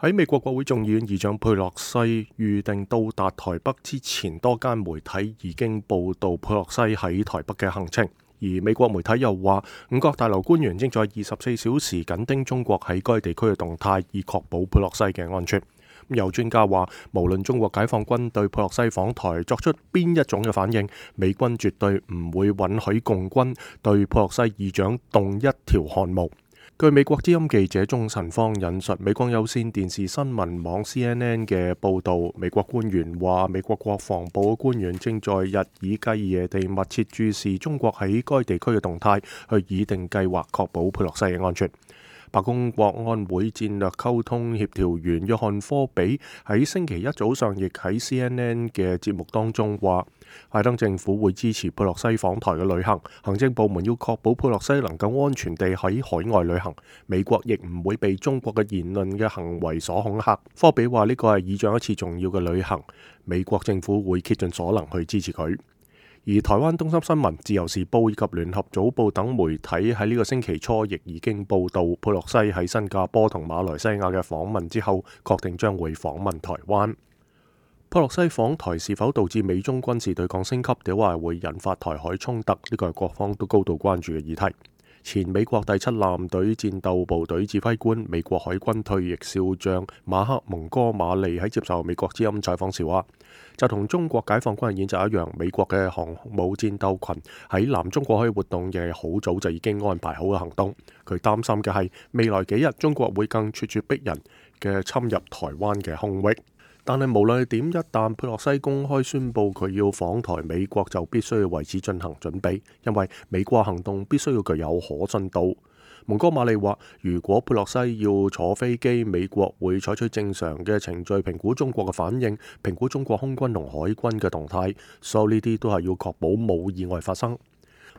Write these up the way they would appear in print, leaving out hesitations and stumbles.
喺美國國會眾議院議長佩洛西預定到達台北之前，多間媒體已經報道佩洛西喺台北嘅行程。而美國媒體又話，五角大樓官員正在24小時緊盯中國喺該地區嘅動態，以確保佩洛西嘅安全。有專家話，無論中國解放軍對佩洛西訪台作出邊一種嘅反應，美軍絕對唔會允許共軍對佩洛西議長動一條汗毛。據美國之音記者鐘晨芳引述美國有線電視新聞網 CNN 嘅報導，美國官員話，美國國防部嘅官員正在日以繼夜地密切注視中國喺該地區嘅動態，去擬定計劃確保佩洛西嘅安全。白宮國安會戰略溝通協調員約翰科比喺星期一早上亦喺 CNN 嘅節目當中話，拜登政府會支持佩洛西訪台嘅旅行，行政部門要確保佩洛西能夠安全地喺海外旅行，美國亦唔會被中國嘅言論嘅行為所恐嚇。科比話呢個係議長一次重要嘅旅行，美國政府會竭盡所能去支持佢。而台灣東森新聞、自由時報以及聯合早報等媒體喺呢個星期初亦已經報道佩洛西喺新加坡同馬來西亞嘅訪問之後，確定將會訪問台灣。佩洛西訪台是否導致美中軍事對抗升級，定話會引發台海衝突？呢個係各方都高度關注嘅議題。前美國第7艦隊戰鬥部隊指揮官、美國海軍退役少將馬克蒙哥馬利喺接受美國之音採訪時話，就同中國解放軍嘅演習一樣，美國嘅航母戰鬥群喺南中國海活動嘅好早就已經安排好嘅行動。佢擔心嘅係未來幾日中國會更咄咄逼人嘅侵入台灣嘅空域。但係無論係點，一旦佩洛西公開宣布佢要訪台，美國就必須要為此進行準備，因為美國行動必須要具有可信度。蒙哥馬利話，如果佩洛西要坐飛機，美國會採取正常嘅程序評估中國嘅反應，評估中國空軍同海軍嘅動態，所有呢啲都係要確保冇意外發生。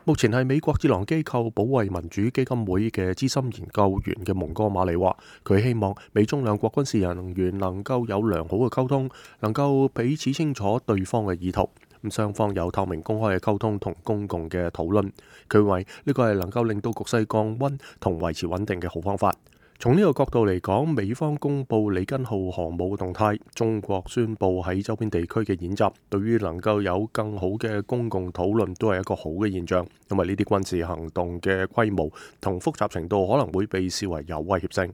目前係美國智囊機構保衛民主基金會嘅資深研究員嘅蒙哥馬利話，佢希望美中兩國軍事人員能夠有良好嘅溝通，能夠彼此清楚對方嘅意圖，雙方有透明公開嘅溝通同公共嘅討論。佢認為呢個係能夠令到局勢降溫同維持穩定嘅好方法。從呢個角度嚟講，美方公布里根號航母動態，中國宣布喺周邊地區嘅演習，對於能夠有更好嘅公共討論都係一個好嘅現象，因為呢啲軍事行動嘅規模同複雜程度可能會被視為有威脅性。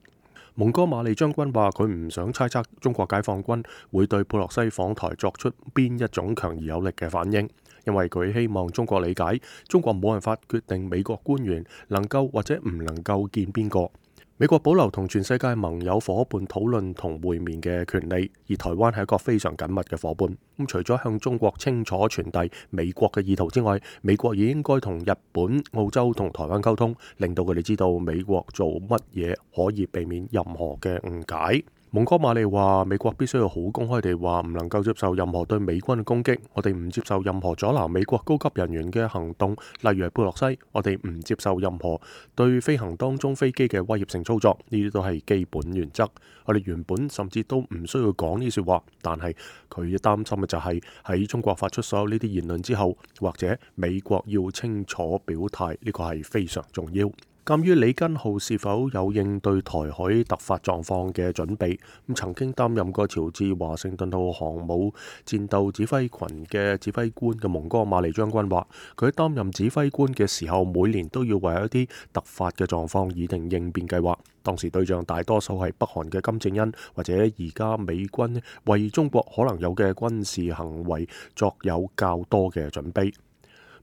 蒙哥馬利將軍話，佢唔想猜測中國解放軍會對佩洛西訪台作出邊一種強而有力嘅反應，因為佢希望中國理解，中國冇辦法決定美國官員能夠或者唔能夠見邊個。美國保留同全世界盟友夥伴討論同會面嘅權利，而台灣係一個非常緊密嘅夥伴。除咗向中國清楚傳遞美國嘅意圖之外，美國亦應該同日本、澳洲同台灣溝通，令到佢哋知道美國做乜嘢可以避免任何嘅誤解。蒙哥馬利話，美國必須要好公開地話，唔能夠接受任何對美軍嘅攻擊，我哋唔接受任何阻撓美國高級人員嘅行動，例如係佩洛西，我哋唔接受任何對飛行當中飛機嘅威脅性操作，呢啲都係基本原則。我哋原本甚至都唔需要講呢啲說話，但係佢擔心嘅就係喺中國發出所有呢啲言論之後，或者美國要清楚表態，呢個係非常重要。鑑於里根號是否有應對台海突發狀況嘅準備，曾經擔任過喬治華盛頓號航母戰鬥指揮群嘅指揮官嘅蒙哥馬利將軍話，佢喺擔任指揮官嘅時候，每年都要為一啲突發嘅狀況擬定應變計劃。當時對象大多數係北韓嘅金正恩，或者而家美軍為中國可能有嘅軍事行為作有較多嘅準備。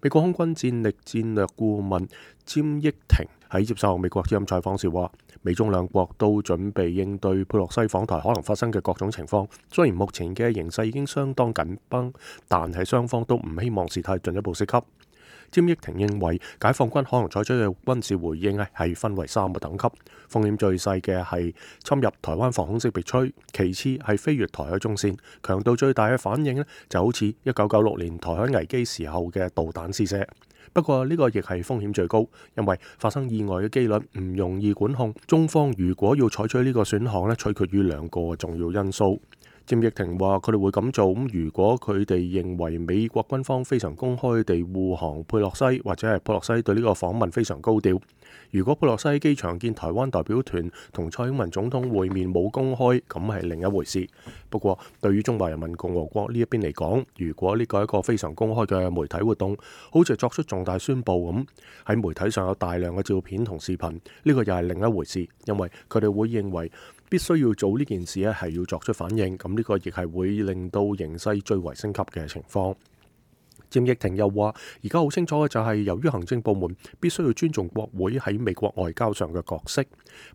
美國空軍戰力戰略顧問詹益廷喺接受美國之音採訪時話，美中兩國都準備應對佩洛西訪台可能發生嘅各種情況。雖然目前嘅形勢已經相當緊繃，但係雙方都唔希望事態進一步升級。詹益廷認為，解放軍可能採取嘅軍事回應係分為3個等級，風險最細嘅係侵入台灣防空識別區，其次係飛越台海中線，強度最大嘅反應就好似1996年台海危機時候嘅導彈試射。不過呢個亦係風險最高，因為發生意外嘅機率唔容易管控。中方如果要採取呢個選項取決於2個重要因素。詹益廷話：佢哋會咁做，如果佢哋認為美國軍方非常公開地護航佩洛西，或者係佩洛西對呢個訪問非常高調，如果佩洛西喺機場見台灣代表團同蔡英文總統會面冇公開，咁係另一回事。不過對於中華人民共和國呢一邊嚟講，如果呢個係一個非常公開嘅媒體活動，好似作出重大宣佈咁，喺媒體上有大量嘅照片同視頻，呢個又係另一回事，因為佢哋會認為必須要做呢件事咧，係要作出反應，咁呢個亦係會令到形勢最為升級嘅情況。詹益廷又話：而家好清楚嘅就係，由於行政部門必須要尊重國會喺美國外交上嘅角色，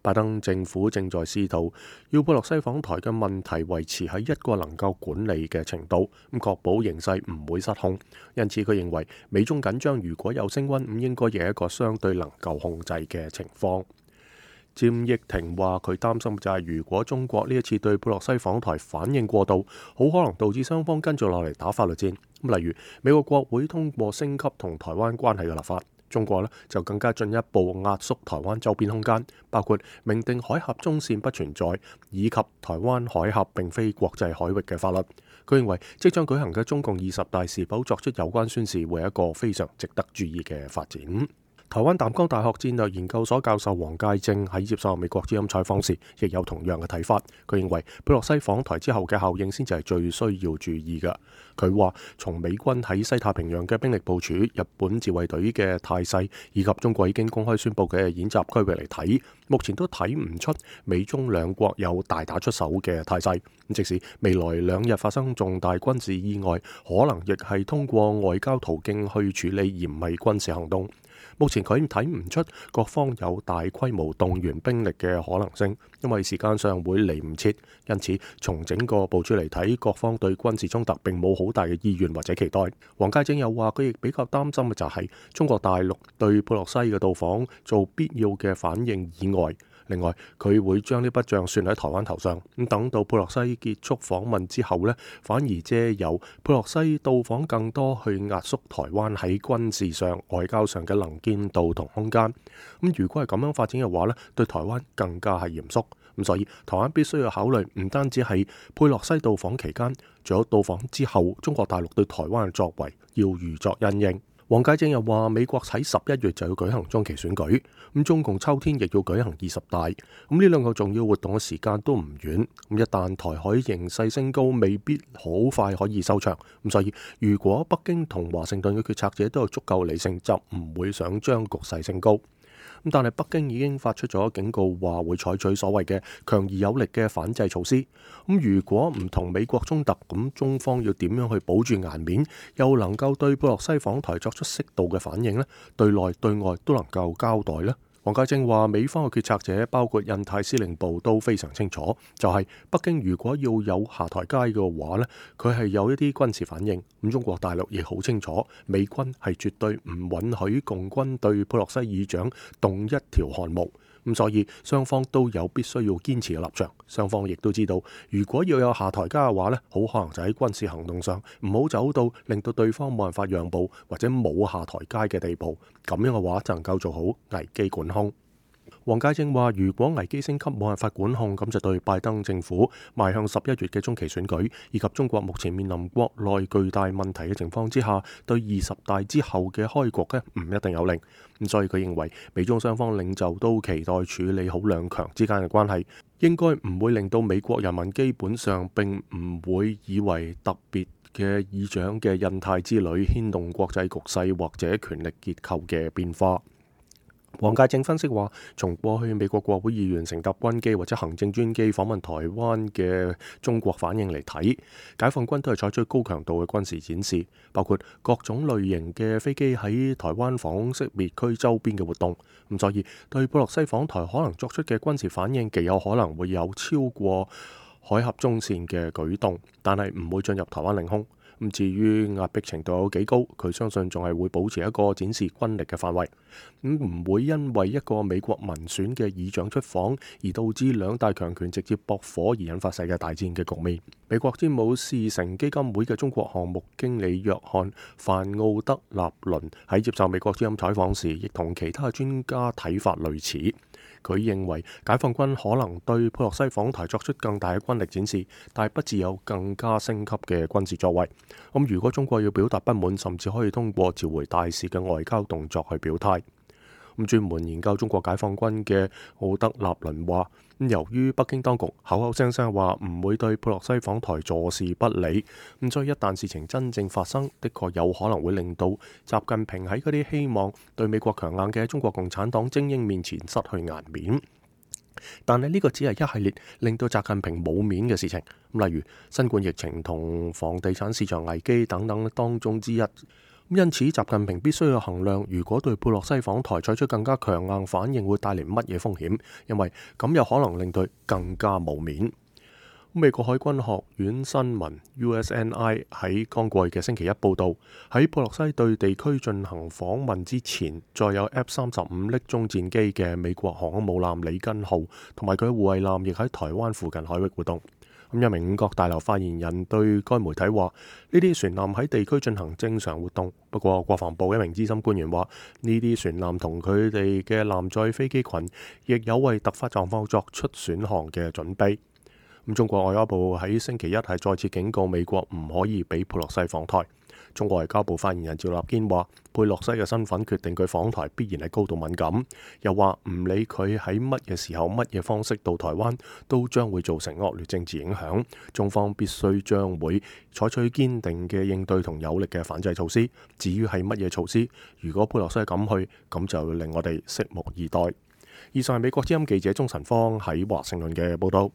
拜登政府正在試圖要佩洛西訪台嘅問題維持喺一個能夠管理嘅程度，咁確保形勢唔會失控。因此，佢認為美中緊張如果有升溫，咁應該亦係一個相對能夠控制嘅情況。詹益廷話：佢擔心就係如果中國呢一次對佩洛西訪台反應過度，好可能導致雙方跟住落嚟打法律戰。例如美國國會通過升級同台灣關係嘅立法，中國呢就更加進一步壓縮台灣周邊空間，包括明定海峽中線不存在，以及台灣海峽並非國際海域嘅法律。佢認為即將舉行嘅中共20大是否作出有關宣示，會係一個非常值得注意嘅發展。台灣淡江大學戰略研究所教授黃介正喺接受美國之音採訪時，亦有同樣嘅睇法。佢認為佩洛西訪台之後嘅效應先至係最需要注意嘅。佢話從美軍喺西太平洋嘅兵力部署、日本自衛隊嘅態勢，以及中國已經公開宣布嘅演習區域嚟睇，目前都睇唔出美中兩國有大打出手嘅態勢。即使未來2日發生重大軍事意外，可能亦係通過外交途徑去處理，而唔係軍事行動。目前佢睇唔出各方有大規模動員兵力嘅可能性，因為時間上會嚟唔切。因此，從整個部署嚟睇，各方對軍事衝突並冇好大嘅意願或者期待。黃介正又話，佢亦比較擔心嘅就係中國大陸對佩洛西嘅到訪做必要嘅反應以外。另外，佢會將呢筆帳算喺台灣頭上，咁等到佩洛西結束訪問之後呢，反而借由佩洛西到訪更多去壓縮台灣喺軍事上、外交上嘅能見度同空間。咁如果係咁樣發展嘅話呢，對台灣更加係嚴肅。咁所以台灣必須要考慮，唔單止係佩洛西到訪期間，仲有到訪之後，中國大陸對台灣嘅作為要預作因應。黃介正又話，美國喺11月就要舉行中期選舉，咁中共秋天亦要舉行20大，咁呢兩個重要活動嘅時間都唔遠，咁一旦台海形勢升高，未必好快可以收場，咁所以如果北京同華盛頓嘅決策者都有足夠理性，就唔會想將局勢升高。但係北京已經發出咗警告，話會採取所謂嘅強而有力嘅反制措施。咁如果唔同美國衝突，咁中方要點樣去保住顏面，又能夠對佩洛西訪台作出適度嘅反應呢？對內對外都能夠交代呢？黃介正話，美方嘅決策者包括印太司令部都非常清楚，就係北京如果要有下台階嘅話呢，佢係有一啲軍事反應。咁中國大陸亦好清楚，美軍係絕對唔允許共軍對佩洛西議長動一條汗毛。咁所以雙方都有必須要堅持嘅立場。雙方亦都知道，如果要有下台階嘅話呢，好可能就喺軍事行動上唔好走到令到對方冇辦法讓步或者冇下台階嘅地步。咁樣嘅話就能夠做好危機管控。黃介正話，如果危機升級冇辦法管控，咁就對拜登政府邁向11月嘅中期選舉，以及中國目前面臨國內巨大問題嘅情況之下，對20大之後嘅開局呢，唔一定有利。咁所以佢認為美中雙方領袖都期待處理好兩強之間嘅關係，應該唔會令到美國人民基本上並唔會以為特別嘅議長嘅印太之旅牽動國際局勢或者權力結構嘅變化。黃介正分析話，從過去美國國會議員乘搭軍機或者行政專機訪問台灣嘅中國反應嚟睇，解放軍都係採取高強度嘅軍事展示，包括各種類型嘅飛機喺台灣防空識別區周邊嘅活動。咁所以對佩洛西訪台可能作出嘅軍事反應，極有可能會有超過海峽中線嘅舉動，但係唔會進入台灣領空。咁至於壓迫程度有幾高，佢相信仲係會保持一個展示軍力嘅範圍，唔會因為一個美國民選嘅議長出訪而導致兩大強權直接駁火而引發世界大戰嘅局面。美國詹姆士城基金會嘅中國項目經理約翰范奧德納倫喺接受美國之音採訪時，亦同其他專家睇法類似。佢認為解放軍可能對佩洛西訪台作出更大嘅軍力展示，但係不致有更加升級嘅軍事作為。如果中國要表達不滿，甚至可以通過召回大使嘅外交動作去表態。咁專門研究中國解放軍嘅奧德納倫話，由於北京當局口口聲聲話唔會對佩洛西訪台坐視不理，所以一旦事情真正發生，的確有可能會令到習近平喺嗰啲希望對美國強硬嘅中國共產黨精英面前失去顏面。但係呢個只係一系列令到習近平冇面嘅事情，例如新冠疫情同房地產市場危機等等當中之一。因此，習近平必須要衡量，如果對佩洛西訪台採取更加強硬反應，會帶嚟乜嘢風險，因為咁有可能令佢更加冇面。美國海軍學院新聞 USNI 喺剛過去嘅星期一報導，喺佩洛西對地區進行訪問之前，載有 F-35匿蹤戰機嘅美國航空母艦里根號同埋佢護衛艦亦喺台灣附近海域活動。一名五角大樓發言人對該媒體話：呢啲船艦喺地區進行正常活動。不過，國防部一名資深官員話：呢啲船艦同佢哋嘅艦載飛機群亦有為突發狀況作出選航嘅準備。中國外交部喺星期一係再次警告美國唔可以俾佩洛西訪台。中國外交部發言人趙立堅話：佩洛西嘅身份決定佢訪台必然係高度敏感，又話唔理佢喺乜嘢時候、乜嘢方式到台灣，都將會造成惡劣政治影響。中方必須將會採取堅定嘅應對同有力嘅反制措施。至於係乜嘢措施，如果佩洛西敢去，咁就令我哋拭目以待。以上係美國之音記者鍾晨芳喺華盛頓嘅報道。